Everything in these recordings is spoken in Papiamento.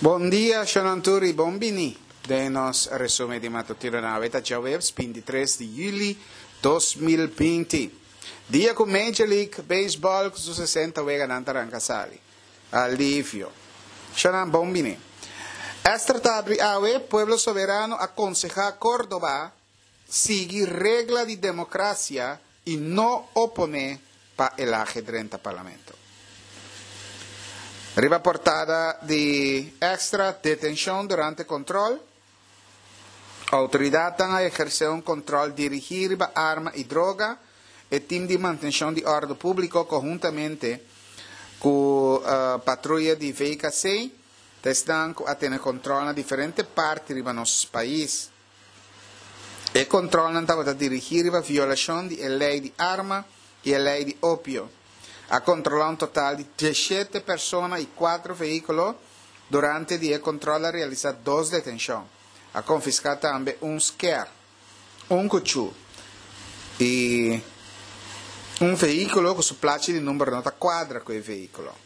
Bon dia, Shonan tur i bon bini den nos resumen di matutino na awe ta djaweps 23 di juli 2020. Dia ku Major League Baseball ku su 60 weganan ta ranka sali. Alivio. Shonan bon bini. Extra ta abri awe, Pueblo Soberano a konsehá Córdoba sigui regla di demokrasia i no oponé pa Elhage drenta Parlamento. Riba portada di Extra, Detenshon durante kontrol. Outoridatnan a ehersé un kontrol dirigí riba arma i droga. E tim di mantenshon di òrdu públiko konhuntamente ku patruya di VKC ta esnan ku a tene kontrol na diferente parti riba nos pais. E kontrolnan tabata dirigí riba violashon di e lei di arma i e lei di opio. A kontrolá un total di diesshete persona i kuater vehíkulo. Durante di e kontrol a realisá dos detenshon. A konfiská tambe un skèr, un kuchú i un vehíkulo ku su plachi di number no ta kuadra ku e vehíkulo.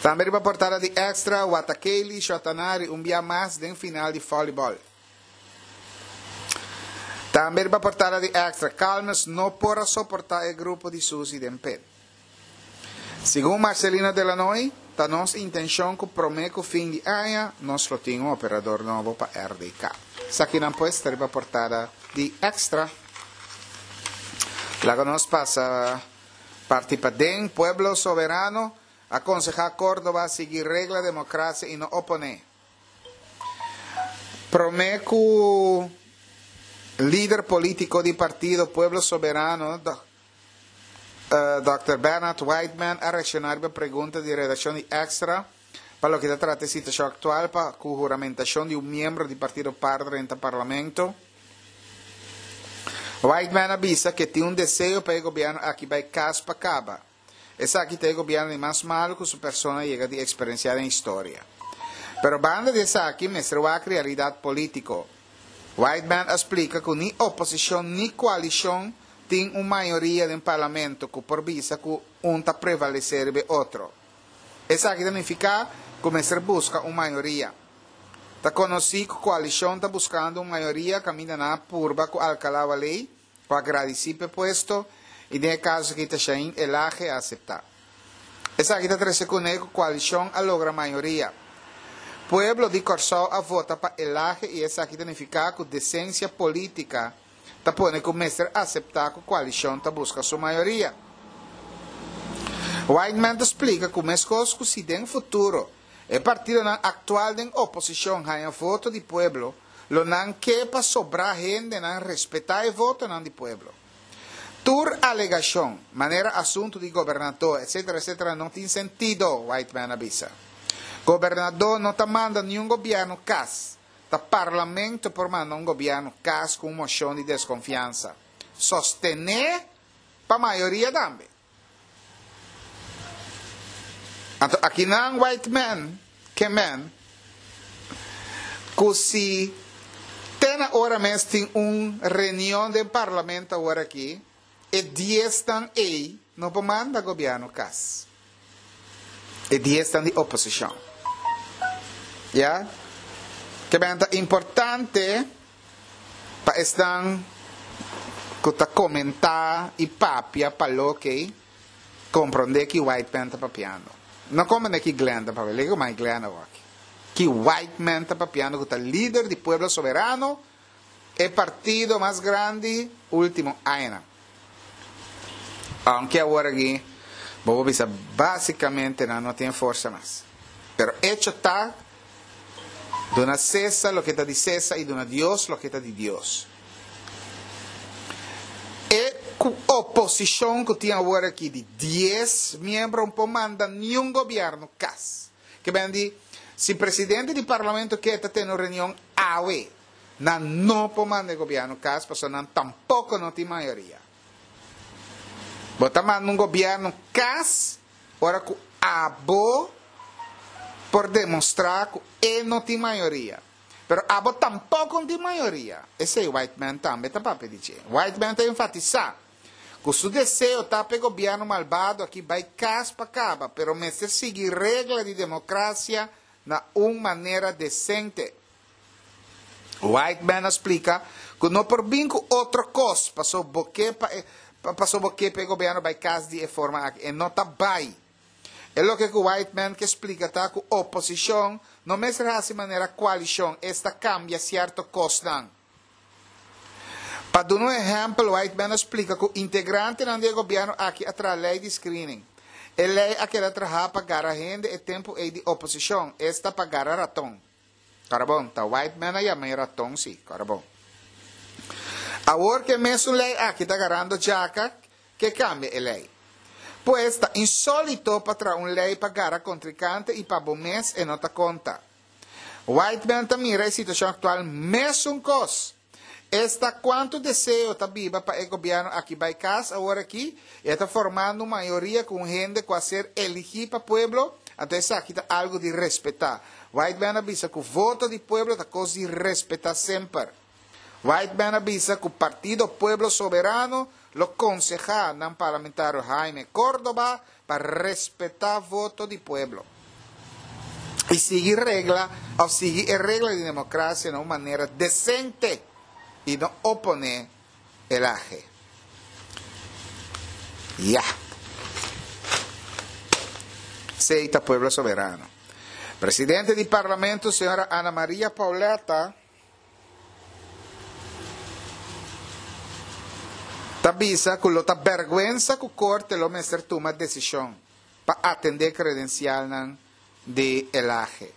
Tambe riba portada di Extra, Watakeli Shotanari un bia mas den final di volleyball. Tambe riba portada di Extra, Calmes no por a soporta e grupo di Susi den pet. Segun Marcelino Delanoy, ta nos intencion cu prome cu fin di aña nos lo tin un operador nobo pa RDK. Esakinan pues ta riba portada di Extra. Laga nos pasa Parti paden, Pueblo Soberano a konsehá Córdoba sigui regla demokrasia i no oponé. Promé ku lider polítiko di partido Pueblo Soberano, Dòkter Bernard Whiteman a reakshoná riba pregunta di redakshon di Extra pa loke ta trata e situashon aktual pa ku huramentashon di un miembro di partido par drenta parlamento. Whiteman a bisa ke tin un deseo pa e gobièrnu aki bai kas pa kaba. Esaki ta e gobièrnu di mas malu ku su persona yega di eksperensiá den historia. Pero banda di esaki mester wak realidat polítiko. Whiteman a splika ku ni oposishon ni koalishon tin un mayoria den parlamento ku por bisa ku un ta prevalesé riba e otro. Esaki ta nifiká ku mester buska un mayoria. Ta konosí ku koalishon ta buskando un mayoria kaminda nan a purba ku Alcalá Waley ku a gradisí p'e puesto i den e kaso aki ta Shain Elhage a aseptá. Esaki ta trese kuné ku koalishon a logra mayoria. Pueblo di Kòrsou a vota pa Elhage i esaki ta nifiká ku desensia polítika ta pone ku mester aseptá ku koalishon ta buska su mayoria. Whiteman ta splika ku meskos ku si den futuro e partidonan aktual den oposishon haña voto di pueblo, lo nan ke pa sobrá hendenan respetá e votonan di pueblo. Tur alegashon, manera asuntu di gobernadó, etcetera, etcetera no tin sentido, Whiteman a bisa. Gobernadó no ta manda niun gobièrnu kas. Ta parlamento por manda un gobièrnu kas ku un moshon di deskonfiansa, sostené pa mayoria tambe. Anto akinan white man ke men ku si te na ora mes tin un reunion den parlamento awor aki, E diesnan ei no por manda gobièrnu kas. E diesnan di oposishon. Ya? Ke ben ta importante pa esnan ku ta komentá i papia pa loke ei komprondé ki Whiteman ta papiando. No komprondé ki Glenn ta papiando. Lei ku mai Glenn awor aki. Ki Whiteman ta papiando ku ta lider di Pueblo Soberano E partido mas grandi ultimo añanan. Aunke awor aki bo por bisa basicamente nan no tin forsa mas. Pero hecho ta, duna Cesar loke ta di Cesar y duna Dios loke ta di Dios. E cu oposicion cu tin awor aki di dies miembro no por manda niun gobierno cas. Ke ben di, si presidente di parlamento ke ta tene un reunion awe, Nan no por manda e gobierno cas pasobra nan tampoco no tin mayoria. Bo ta manda un gobierno cas ora cu abo por demostra cu e no tin mayoria. Pero abo tampoco no tin mayoria. Esey Whiteman tambe ta papia di dje. Whiteman ta enfatisa. ku su deseo ta pa e gobièrnu malbado aki bai kas pa kaba, pero mester sigui regla di demokrasia na un manera desente. Whiteman a splika ku no por bin ku otro kos paso bo ke pa e paso bo ke pa e gobièrnu bai kas di e forma aki. E no ta bai. E loke ku Whiteman ke splika ta ku oposishon no mester hasi manera koalishon, esta kambia sierto kosnan. Pa duna un ehèmpel, Whiteman a splika ku integrantenan di e gobièrnu aki a traha lei di screening. E lei a keda trahá pa gara hende e tempu ei di oposishon, esta pa gara raton. Kòrda bon, ta Whiteman a yama e raton sí, kòrda bon. Awor ku e mesun lei aki ta garando djaka, ke kambia e lei. Pues, ta insólito pa traha un lei pa gara kontrinkante i pa bo mes e no ta konta. Whiteman ta mira e situashon aktual mesun kos. Esta kuantu deseo ta biba pa e gobièrnu aki bai kas awor aki, i e ta formando un mayoria ku un hende ku a ser eligí pa pueblo, anto esaki ta algu di respetá. Whiteman a bisa ku voto di pueblo ta kos di respetá semper. Whiteman a bisa ku Partido Pueblo Soberano lo konsehá nan parlamentario Jaime Cordoba pa respetá voto di pueblo i sigui regla òf sigui e regla di demokrasia na un manera desente i no oponé elahe. Ya. Esei ta Pueblo Soberano. Presidente di Parlamento, señora Ana Maria Pauletta, Ta bisa ku lo ta bèrgwensa ku korte lo mester tuma desishon pa atendé kredensialnan di elahe.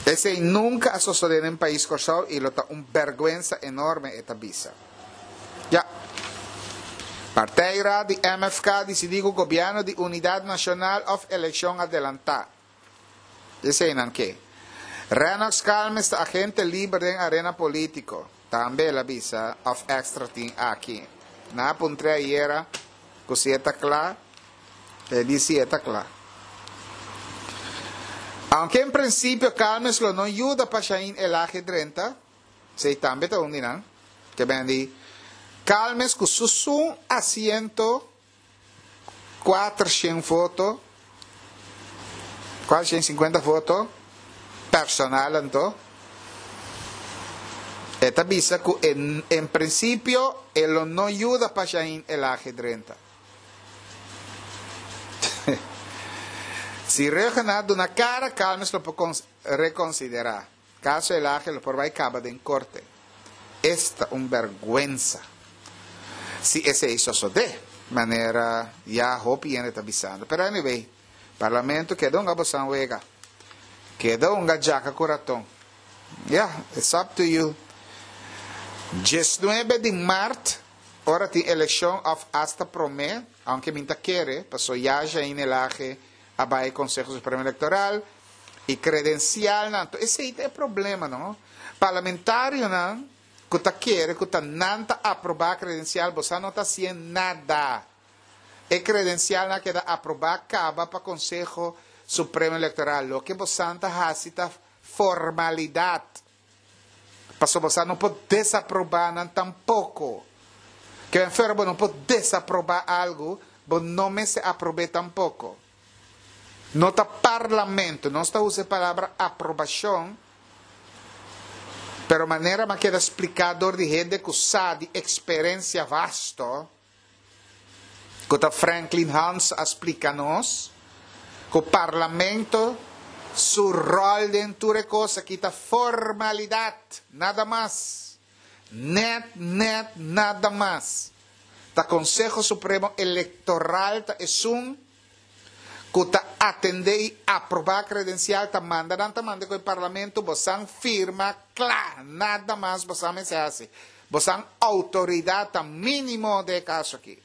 Esei nunka a sosodé den pais Kòrsou i lo ta un bèrgwensa enorme, e ta bisa. Ya. Partijraad di MFK disidí ku gobièrnu di unidat nashonal òf elekshon adelantá. Esei nan ke. Rennox Calmes ta agente liber den arena politico. Tambe el a bisa of extra tin aki. Nan a puntr'é ayera cu si e ta cla, e di si e ta cla. Aunke en principio Calmes lo no yuda pa Shain Elahe drenta, esei tambe ta un di nan, ke ben di Calmes cu su sun asiento 400 foto, 450 foto personal anto, e ta bisa ku en, en prinsipio e lo no yuda pa Shahin Elahe drenta. Si Rhuggenaath duna kara, Calmes lo por rekonsiderá. Caso Elahe lo por bay caba den corte. Esta un berguensa. Si esey sosode, manera ya hopi hende ta bisando. Pero anyway, Parlamento keda hunga bosan wega. Keda hunga djaka cu raton. Ya, it's up to you. Diesnuebe di maart, ora tin eleccion of hasta prome, aunke mi ta kere, paso ya Jain Elahe a bay Conseho Supremo Electoral, E credencialnan, to esey ta e problema no. Parlamentarionan cu ta kere cu ta nan ta aproba credencial, bo sa no ta hacié nada. E credencialnan a keda aproba caba pa Conseho Supremo Electoral. Loke bo san ta haci ta formalidad. Pasobra bo sa no por desaproba nan tampoco. Ke enfermo bo no por desaproba algo, bo no mester aprob'é tampoco. No ta parlamento, nos ta usa e palabra aprobashon, pero manera m'a keda spliká dor di hende ku sa di eksperensia vasto, ku ta Franklin Hans a splika nos, ku parlamento su ròl den tur e kos aki ta formalidat, nada mas. Nèt, nèt, nada mas. Ta Konseho Supremo Elektoral ta esun ku ta atendé i aprobá kredensial, ta manda nan ta manda ku e parlamento, bosan firma kla, nada mas bosan mester hasi. Bosan outoridat ta mínimo den e kaso aki.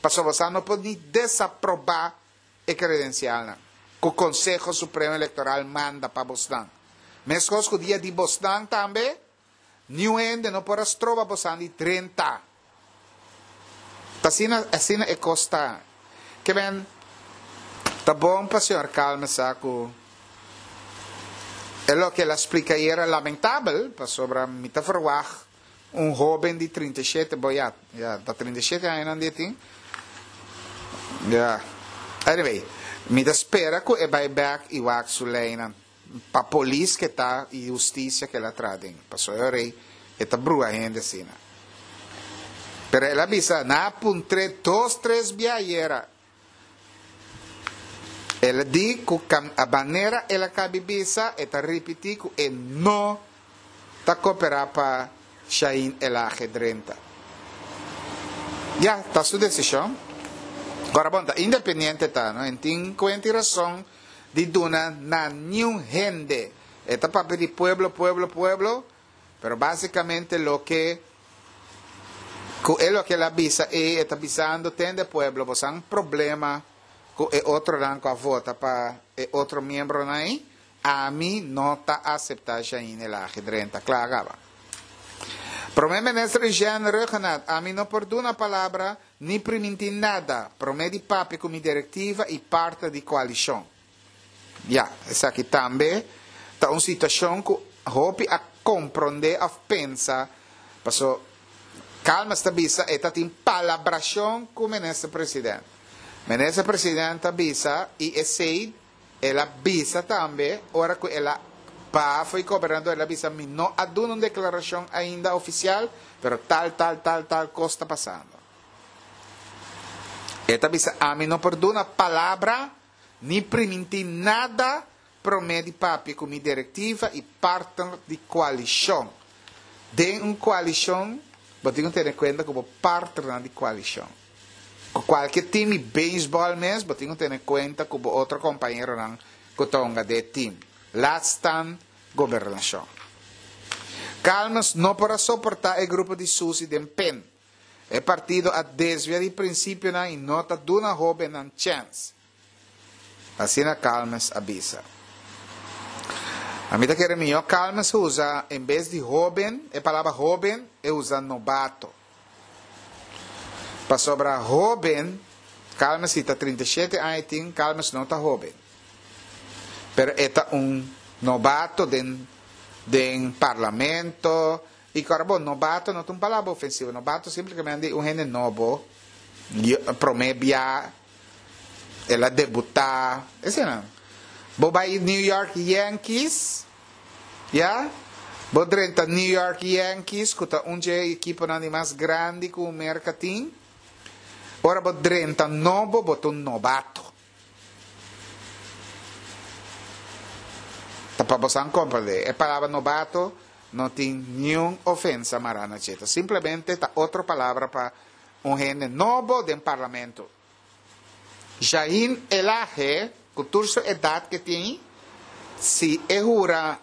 Pasobra bosan no por ni desaprobá e kredensialnan ku Konseho Supremo Elektoral manda pa bosnan. Meskos ku dia di bosnan tambe, Niun hende no por a stroba bosan di drenta. Ta asina, asina e kos ta. Ke men, ta bon pa señor Calmes sa ku e loke el a splika ayer a lamentabel, pasobra mi ta verwagt Un hoben di 37, bo ya, ya, ta 37 aña nan di e tin. Ya. Anyway, mi ta spera ku e bai bek i wak su leinan. Pa polis ke ta i hustisia ke el a traha den. Pasobra e ora ei e ta bruha hende asina. Pero el a bisa, nan a puntr'é dos tres bia ayera. El a di ku a manera el a kabi bisa e ta ripití ku e no ta koperá pa Shain Elhage drenta. Ya, ta su desishon. Ora bon, ta independiente ta, no? En tin kuenta i rason di duna na niun hende. E ta papia di pueblo, pueblo, pueblo, pero básikamente loke ku e loke el a bisa ei, e ta bisando tende pueblo, bo san problema ku e otronan ku a vota pa e otro miembronan ei, ami no ta aseptá Shaine Elhage drenta. Kla kaba. Prome Minister Eugène Rhuggenaath, Ami no por duna palabra ni primintí nada promé di papia ku mi direktiva i partner di koalishon. Ya, esaki tambe ta un situashon ku hopi a komprondé òf pensa, paso Calmes ta bisa e ta tin palabrashon ku Minister President. Minister President ta bisa i esei el a bisa tambe ora ku el a baha fo'i gobernador, el a bisa mi no a duna un deklarashon ainda ofisial, pero tal tal tal tal kos ta pasando. E ta bisa ami no por duna palabra ni primintí nada promé di papia ku mi direktiva i partner di koalishon. Den un koalishon bo tin ku tene kuenta ku bo partnernan di koalishon. Ku kualke tim di beisbòl mes bo tin ku tene kuenta ku bo otro kompañeronan ku ta hunga den e tim. Laat staan gobernashon. Calmes no por a soportá e grupo di Susi den pen. E partido a desvia di prinsipionan i no ta duna hóbennan chèns. Asina Calmes a bisa. Ami ta kere mihó Calmes usa en bes di hóben, e palabra hóben, e usa nobato. Pasobra hóben, Calmes si ta 37 aña e tin, Calmes no ta hóben. Pero e ta un nobato den den parlamento, I kòrda bo, nobato no ta un palabra ofensivo. Nobato simplemente un hende nobo, promé bia el a debutá, eseinan. Bo bai New York Yankees, ya, bo drenta New York Yankees ku ta un dje ekiponan di mas grandi ku Merka tin, ora bo drenta nobo bo ta un nobato. Ta pa bosan komprendé, e palabra nobato no tin niun ofensa mará na dje. Ta simplemente ta otro palabra pa un hende nobo den parlamento. Jain Elhage, ku tur su edat ke tin, si e hura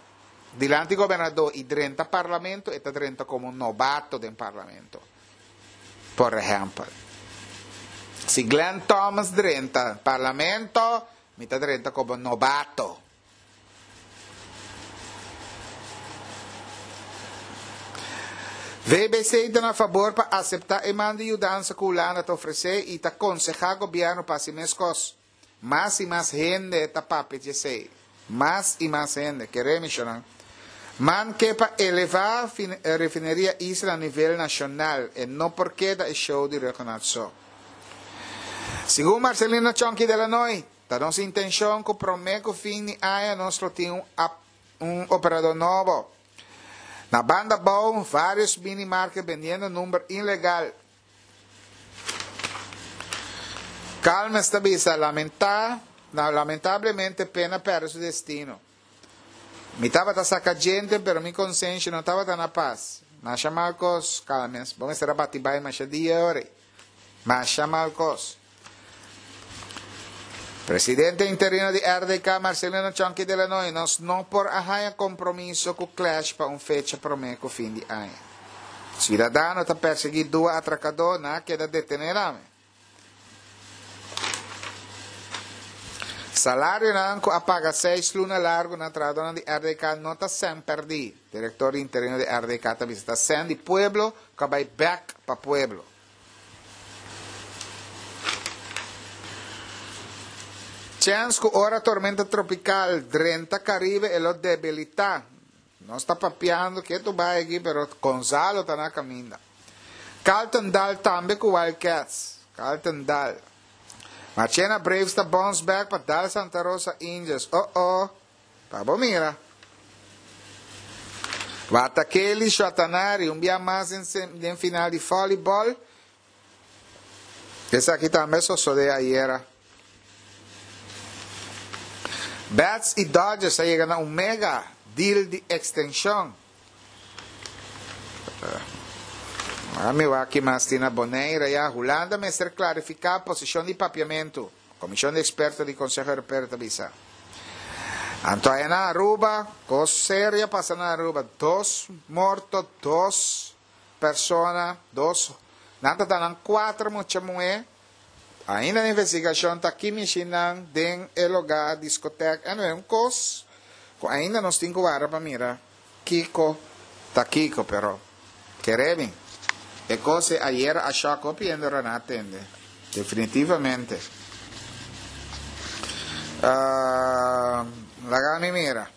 dilanti gobernadó i drenta parlamento, e ta drenta komo nobato den parlamento. Por ehèmpel, si Glenn Thomas drenta parlamento, mi ta drenta komo nobato. VBC ta na fabor pa aseptá e man di yudansa ku Hulanda ta ofresé i ta konsehá gobièrnu pa hasi meskos. Mas i mas hende ta papia di esei. Mas i mas hende. Keré mishonan. Man ke pa elevá refineria Isla na nivel nashonal. E no por keda e show di Rhuggenaath so. Segun Marcelino Chonky Delanoy, ta nos intenshon ku promé ku fin di aña nos lo tin un un operador nobo. Na Banda Bou, vários minimarket bendiendo number ilegal. Calmes ta bisa, Lamentá, na lamentablemente pena pèrdè su destino. Mi tabata saka djente pero mi konsenshi no tabata na pas. Masha mal kos, Calmes. Bo mester a bati bai masha dia e ora ei. Masha mal kos. Presidente interino di RDK, Marcelino Chonky Delanoy, Nos no por a haña kompromiso ku Clash pa un fecha promé ku fin di aña. Siudadano ta persiguí dua atrakadó, nan a keda detené lame. Salarionan ku a paga seis luna largu na trahadónan di RDK no ta sèn pèrdí, direktor interino di RDK ta bisa. Ta sèn di pueblo ku a bai bèk pa pueblo. Chèns ku ora tormenta tropikal drenta Karibe e lo debilitá. Nos ta papiando ketu bai aki pero Gonzalo ta na kaminda. Carlton Daal tambe ku Wild Cats. Carlton Daal. Marchena Braves ta bounce back pa dal Santa Rosa Indians. Oh oh. Pa bo mira. Watakeli Shuatanari un bia mas den final di volleyball. Esaki tambe sosodé ayera. Bats i Dodgers a yega na un mega deal di ekstenshon. Mi wak ki mas tin na Bonaire ya. Hulanda mester klarifiká posishon di papiamentu, Komishon di Eksperto di Konseho Europeo ta bisa. Anto aya na Aruba, kos serio a pasa na Aruba. Dos morto, dos persona, dos, nan ta ta nan kuater mucha muhé. Ainda na investigashon ta ki mishi nan den e lugá diskotek. Anyway, un kos ku ainda nos tin ku wara pa mira. Kiko ta kiko pero kere mi e kos e ayera a shock hopi hende ora nan a tende definitivamente laga mi mira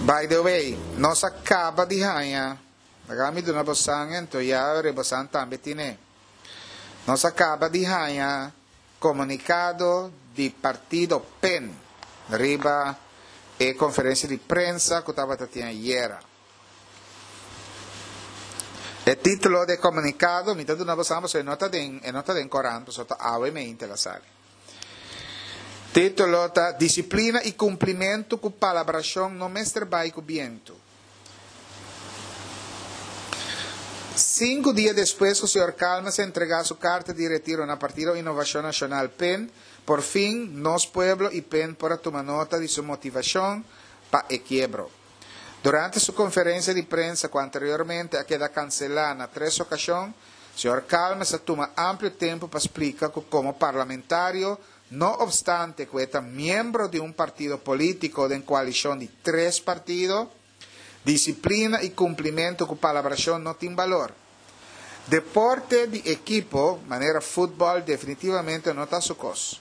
by the way nos a kaba di haña laga mi duna bosan ento ya ora bosan tambe tine nos a kaba di haña Komunikado di partido pen riba e konferensia di prensa ku tabata tin ayera. E titulo di e komunikado, mi ta duna boso pasobra e no ta den e no ta den korant pasobra ta awe meinte el a sali. Titulo ta Disiplina i kumplimentu ku palabrashon no mester bai ku bientu. Sinku dia despues ku señor Calmes a entregá su karta di retiro na Partido Inovashon Nashonal, pen, por fin nos pueblo i pen por a tuma nota di su motivashon pa e kiebro. Durante su konferensia di prensa ku anteriormente a keda kanselá na tres okashon, señor Calmes a tuma amplio tempu pa splika ku komo parlamentario No obstante cu e ta miembro di un partido politico den coalicion di tres partido, disciplina y cumplimento cu palabracion no tin balor. Deporte di ekipo, manera futbol definitivamente no ta su cos.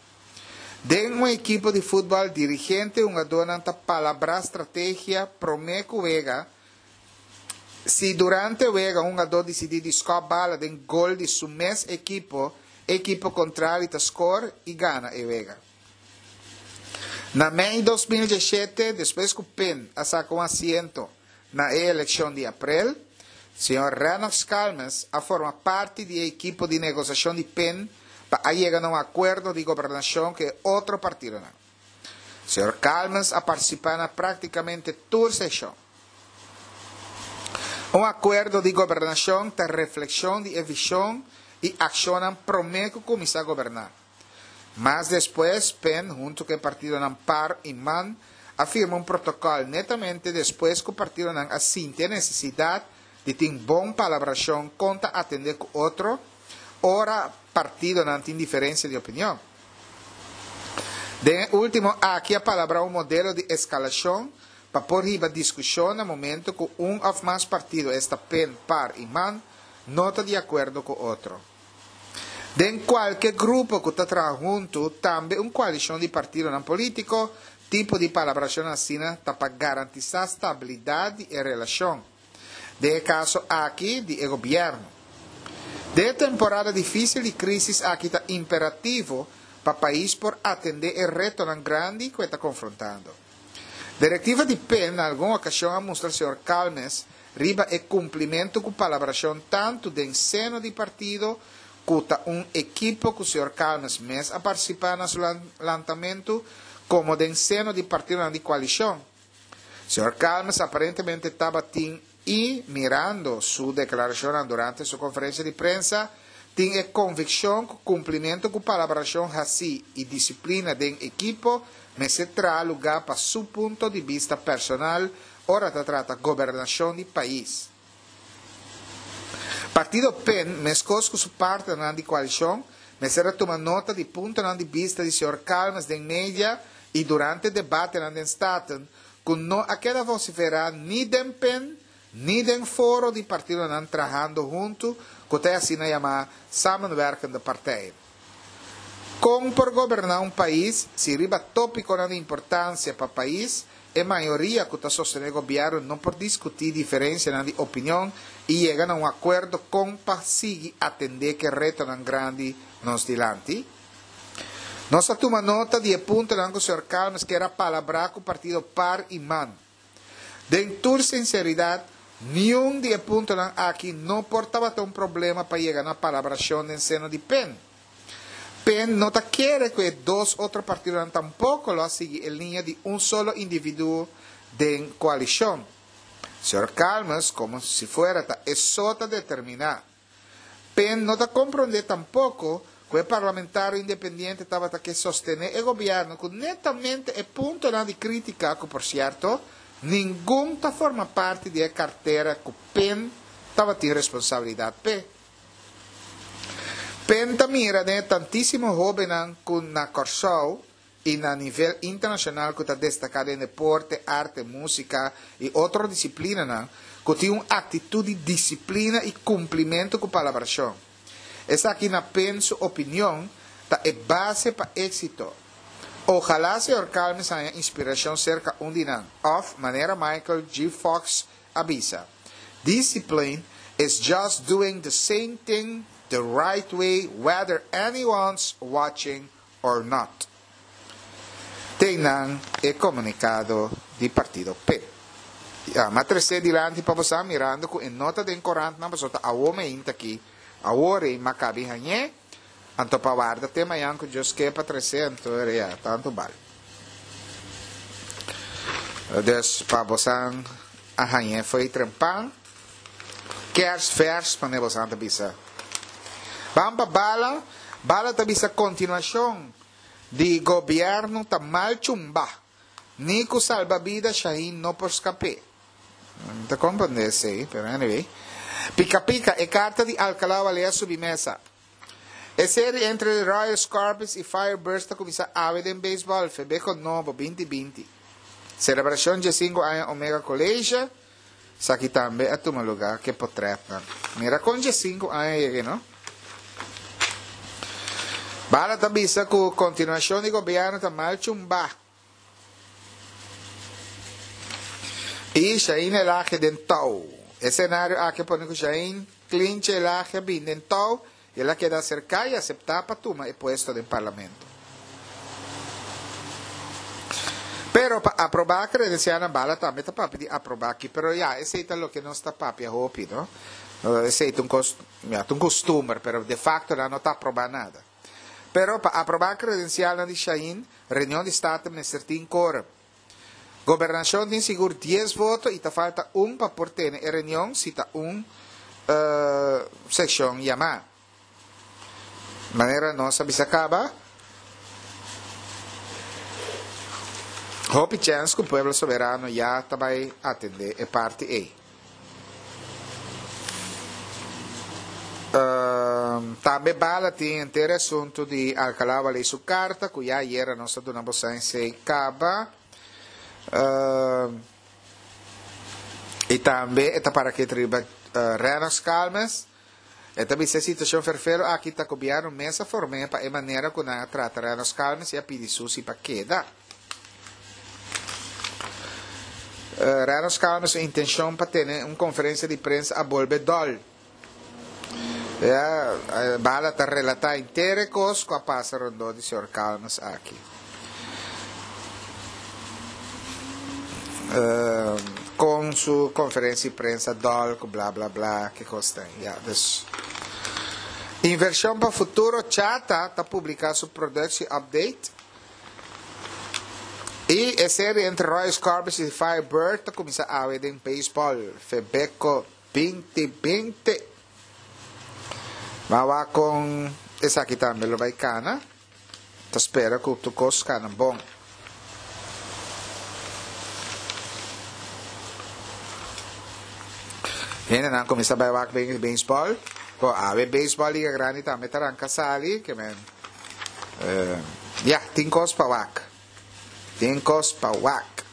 Den un ekipo di futbol dirigente y hungadornan ta palabra strategia prome cu wega, Si durante wega un hungadó disidí di skòp bala den gol di su mes ekipo, e ekipo kontrali ta skor i gana e wega. Na mei 2017, despues ku pin a saka un asiento na e elekshon di aprel, señor Rennox Calmes a forma parti di e ekipo di negosiashon di pin pa a yega na un akuerdo di gobernashon ku e otro partidonan. Señor Calmes a partisipá na práktikamente tur seshon. Un akuerdo di gobernashon ta reflekshon di e vishon i akshonnan promé ku kuminsá goberná. Mas despues, pen huntu ku e partidonan par i man a firma un protokòl netamente despues ku partidonan a sinti e nesesidat di tin bon palabrashon kon ta atendé ku otro ora partidonan tin diferensia di opinion. Den e último aki a palabrá un modelo di eskalashon pa por hiba diskushon na momento ku un òf mas partido, esta pen, par i man, no ta di akuerdo ku otro. Den kualke grupo ku ta traha huntu, tambe un koalishon di partidonan polítiko, tipo di palabrashon asina ta pa garantisá stabilidat di e relashon. Den e kaso aki di e gobièrnu. Den e temporada difísil di krísis aki ta imperativo pa pais por atendé e retonan grandi ku e ta konfrontando. Direktiva di pen na algun okashon a mustra señor Calmes riba e kumplimentu ku palabrashon tantu den seno di partido ku ta un ekipo ku señor Calmes mes a partisipá na su lantamentu komo den seno di partidonan di koalishon. Señor Calmes aparentemente tabatin y, mirando su declaracionnan durante su conferencia di prensa, tin e conviccion cu cumplimento cu palabracion haci y disciplina den ekipo mester traha lugar pa su punto di bista personal ora ta trata gobernacion di pais. Partido pen, mescos cu su partnernan di coalicion, mester a tuma nota di puntonan di bista di señor Calmes den media y durante debatenan den Staten cu no a keda vocifera ni den pen ni den foro di partidonan trahando hunto cu ta e asina yama samenwerkende partijen. Con por goberna un pais si riba topiconan di importancia pa pais e mayoria ku ta sostené gobièrnu no por diskutí diferensianan di opinion i yega na un akuerdo kon pa sigui atendé ku e retonan grandi nos dilanti? Nos a tuma nota di e puntonan ku señor Calmes kier a palabrá ku partido par i man. Den tur sinseridat, niun di e puntonan aki no por tabata un problema pa yega na palabrashon den seno di pen. Pen no ta kere ku e dos otro partidonan tampoko lo a sigui e liña di un solo individuo den koalishon. Señor Calmes komo si fuera ta e so ta determiná. Pen no ta komprondé tampoko ku e parlamentario independiente tabata ke sostené e gobièrnu ku netamente e puntonan di krítika ku por sierto ningun ta forma parti di e kartera ku pen tabatin responsabilidat p'e. Pen ta mira den e tantísimo hóbennan ku na Kòrsou i na nivel internashonal ku ta destaká den deporte, arte, músika i otro disiplinanan ku tin un aktitut di disiplina i kumplimentu ku palabrashon. Esaki na Pen su opinion ta e base pa éksito. Ohalá señor Calmes haña inspirashon serka un di nan, òf manera Michael G. Fox a bisa, Discipline is just doing the same thing the right way whether anyone's watching or not. Ten nan e komunikado di partido P. Ya, m'a tres'é dilanti pa bo sa mirando ku e no ta den korantnan pasobra ta awo meinta aki, awor ei m'a kabi hañ'é, anto pa warda te mañan ku Dios ke pa tres'é anto ya, tantu bal. Dus pa bosan a hañ'é fo'i trempan, kers vers manera bosan ta bisa. Ban pa bala, bala ta bisa kontinuashon di gobièrnu ta mal chumba, ni ku salbabida Shaheen no por skap'é. Mi ta komprondé esei, pero anyway. Pika pika, e karta di Alcalá Walea subi mesa. E seri entre Royal Scorpions i Firebirds ta kuminsá awe den beisbòl, Febeko Nobo, binti binti. Selebrashon djesinku aña Omega College, esaki tambe a tuma lugá ku e potrètnan. Mira kon djesinku aña yega no. Bala ta bisa ku kontinuashon di gobièrnu ta mal chumbá. I Shain Elage den tou. E senario aki a pone ku Shain Klinche Elage a bin den tou i el a keda aserká i aseptá pa tuma e puesto den parlamento. Pero pa aprobá kredensialnan bala tambe ta papia di aprobá aki, pero ya esei ta loke nos ta papia hopi, no? Esei ta un kos, ya, ta un kustumber, pero de fakto nan no ta aprobá nada. Pero pa aprobá kredensialnan di Shain, Reunion di Staten mester tin kore. Gobernacion tin sigur dies voto y ta falta un pa por tene e reunion si ta un sesion yama. Manera nos a bisa caba, hopi chens cu Pueblo Soberano ya ta bay atende e parti ey. Tambe Bala tin henter e asuntu di Alcalá Waley su karta ku ya ayera nos a duna boso esei kaba. I tambe e ta para kit riba Rennox Calmes. E ta bisa e situashon ferfelu aki ta gobièrnu mes a form'é pa e manera ku nan a trata Rennox Calmes i a pidi Susi pa keda. Rennox Calmes su intenshon pa tene un konferensia di prensa a bolbe dòl. Ya, Bala ta relatá henter e kos ku a pasa rondó di señor Calmes aki. Kon su konferensia di prensa dòl ku bla bla bla ke kos ta. Ya, dus. Invershon pa futuro Chata ta publiká su productie update. I e serie entre Royal Scorpions i Firebird ta kuminsá awe den beisbòl. Febeko Binti binti. Ban wak kon esaki tambe lo bai kana. Ta spera ku tur kos kana bon. Hendenan kuminsá bai wak den e beisbòl. Bo awe beisbòl Liga Grandi tambe ta ranka sali. Ke men, ya, tin kos pa wak. Tin kos pa wak.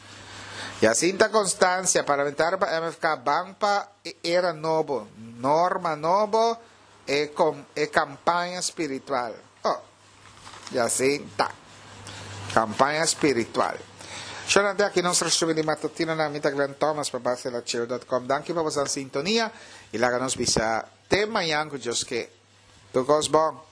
Jacinta Constancia, parlamentario pa MFK, ban pa e era nobo, norma nobo, e com e campaña spiritual. Oh, Jacinta. Campaña spiritual. Shona te aki nos resumen di matutino na mi ta Glenn Thomas pa baselachil.com. Danki pa boso sintonia y laga nos bisa te mañan ku Dios ke. Tur kos bon.